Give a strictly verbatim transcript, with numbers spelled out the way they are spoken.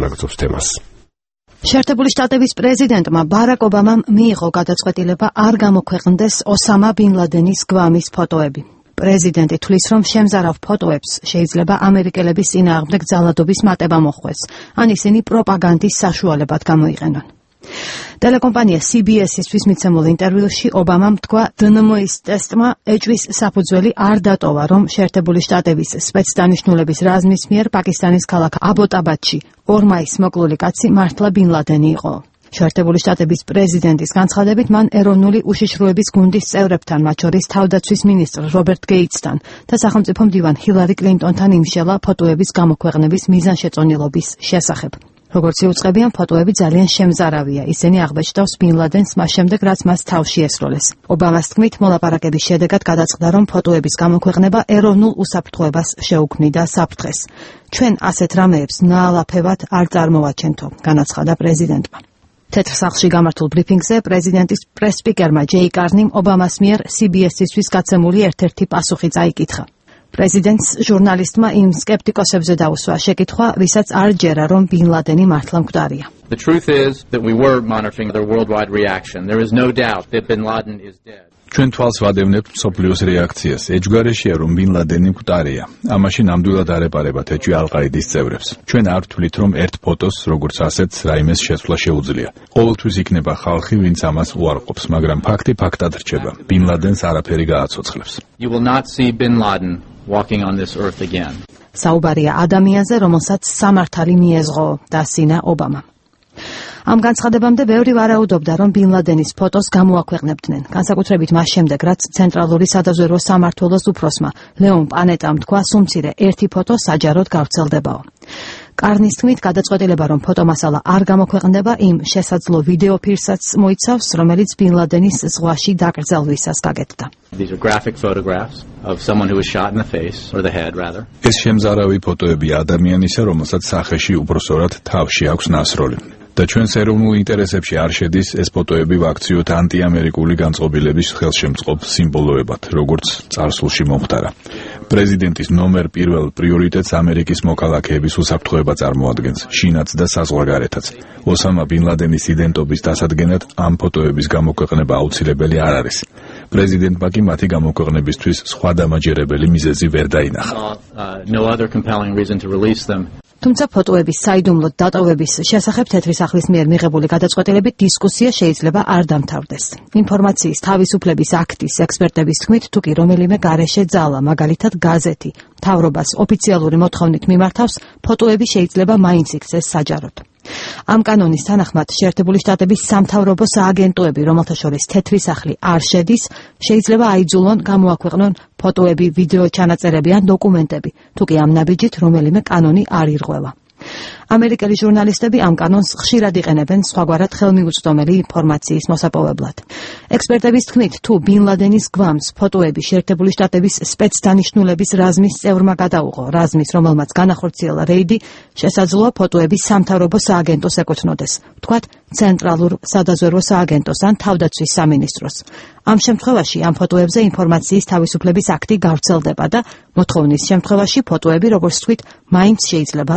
განაგრძობს თემას. შეერთებული შტატების პრეზიდენტმა ბარაკ ობამამ მიიღო გადაწყვეტილება არ გამოქვეყნდეს ოსამა ბინ ლადენის გვამის ფოტოები. პრეზიდენტი თვლის, რომ შემზარავ ფოტოებს შეიძლება ამერიკელების წინააღმდეგ ძალადობის მატება მოხვდეს, ან ისინი პროპაგანდის საშუალებად გამოიყენონ. ტელეკომპანია C B S-ისთვის მიცემულ ინტერვიუში ობამამ თქვა, დ N M-ის ტესტმა ეჭვის საფუძველი არ დატოვა, რომ შეერთებული შტატების სპეცდანიშნულების რაზმის მიერ პაკისტანის ქალაქ აბოტაბადში ორმაის მოკლული კაცი მართლა ბინ ლადენი იყო. შეერთებული შტატების პრეზიდენტის განცხადებით, მან ეროვნული უშიშროების გუნდის წევრებთან, მათ შორის თავდაცვის მინისტრ რობერტ გეიტსთან და სახელმწიფო მდივან ჰილარი კლინტონთან იმშელა ფოტოების გამოქვეყნების მიზანშეწონილობის შესახებ. როგორც იუწყებიან, ფოტოები ძალიან შემზარავია. ისინი აღბეჭდავს ბინ ლადენს მას შემდეგ, რაც მას თავში ესროლეს. ობამას თქმით, მოლაპარაკების შედეგად გადაწყდა, რომ ფოტოების გამოქვეყნება ეროვნულ უსაფრთხოებას შეუქმნიდა საფრთხეს. ჩვენ ასეთ რამეებს ნაალაფებად არ წარმოვაჩენთო, განაცხადა პრეზიდენტმა. თეთრ სახლში გამართულ ბრიფინგზე პრეზიდენტის პრეს-სპიკერმა ჯეი კარნიმ ობამას მიერ C B S-ისთვის გაცემული ერთ-ერთი პასუხი წაიკითხა. პრეზიდენტს ჟურნალისტმა იმ სკეპტიკოსებზე დაუსვა შეკითხვა, ვისაც არ ჯერა, რომ ბინ ლადენი მართლა მკვდარია. The truth is that we were monitoring the worldwide reaction. There is no doubt that bin Laden is dead. ჩვენ თვალს ვადევნებთ მსოფლიოს რეაქციას. ეჯგარეშია, რომ ბინ ლადენი მკვდარია. ამაში ნამდვილად არ ეპარებათ ეჭვი ალ-ყაიდის წევრებს. ჩვენ არ ვთვლით, რომ ერთ ფოტოს, როგორც ასეთს, რაიმეს შეცვლა შეუძლია. ყოველთვის იქნება ხალხი, ვინც ამას უარყოფს, მაგრამ ფაქტი ფაქტად რჩება. ბინ ლადენს არაფერი გააცოცხლებს. You will not see bin Laden walking on this earth again. საუბარია ადამიანზე, რომელსაც სამართალი მიეზღო, დასინა ობამა. ამ განცხადებამდე ბევრი ვარაუდობდა, რომ ბინ ლადენის ფოტოს გამოაქვეყნებდნენ, განსაკუთრებით მას შემდეგ, რაც ცენტრალური სადაზვერვო სამმართველოს უფროსმა ლეონ პანეტამ თქვა, სუმცირე ერთი ფოტო საჯაროდ გავრცელდებაო. კარნის თქმით, გადაწყვეტილება, რომ ფოტომასალა არ გამოქვეყნდება, იმ შესაძლო ვიდეო ფირსაც მოიცავს, რომელიც ბინ ლადენის ზღვაში დაკრძალვისას გაკეთდა. These are graphic photographs of someone who was shot in the face or the head rather. ეს შემზარავი ფოტოები ადამიანისა, რომელსაც სახეში უბრალოდ თავში აქვს ნასროლი. და ჩვენს ეროვნულ ინტერესებში არ შედის ეს ფოტოები ვაქციოთ ანტიამერიკული განწყობილების ხელშემწყობ სიმბოლოებად, როგორც წარსულში მომხდარა. პრეზიდენტის ნომერ პირველ პრიორიტეტს ამერიკის მოქალაქეების უსაფრთხოება წარმოადგენს, შინაც და საზღვარგარეთაც. ოსამა ბინ ლადენის იდენტობის დასადგენად ამ ფოტოების გამოქვეყნება აუცილებელი არ არის. პრეზიდენტმა კი მათი გამოქვეყნებისთვის სხვა დამაჯერებელი მიზეზი ვერ დაინახა. No other compelling reason to release them. თუმცა ფოტოების საიდუმლოდ დატოვების შესახებ თეთრი სახლის მიერ მიღებული გადაწყვეტილებით დისკუსია შეიძლება არ დამთავრდეს. ინფორმაციის თავისუფლების აქტის ექსპერტების თქმით, თუ კი რომელიმე გარეშე ძალა, მაგალითად გაზეთი, მთავრობას ოფიციალური მოთხოვნით მიმართავს, ფოტოები შეიძლება მაინც იქცეს საჯაროდ. ამ კანონის თანახმად შეერთებული შტატების სამთავრობო სააგენტოები, რომელთა შორის თეთრი სახლი არ შედის, შეიძლება აიძულონ გამოაქვეყნონ ფოტოები, ვიდეო ჩანაწერები ან დოკუმენტები, თუ კი ამ ნაბიჯით რომელიმე კანონი არ ირღვევა. ამერიკელი ჟურნალისტები ამ კანონს ხშირად იყენებენ სხვაგვარად ხელმიუწვდომელი ინფორმაციის მოსაპოვებლად. ექსპერტების თქმით, თუ ბინ ლადენის გვამს ფოტოები შეერთებული შტატების სპეცდანიშნულების რაზმის წევრმა გადაუღო, რაზმის, რომელმაც განახორციელა რეიდი, შესაძლოა ფოტოები სამთავრობო სააგენტოს ეკუთვნოდეს, ვთქვათ, ცენტრალურ სადაზვერვო სააგენტოს ან თავდაცვის სამინისტროს. ამ შემთხვევაში ამ ფოტოებზე ინფორმაციის თავისუფლების აქტი გავრცელდება და მოთხოვნის შემთხვევაში ფოტოები, როგორც ვთქვით, მაინც შეიძლება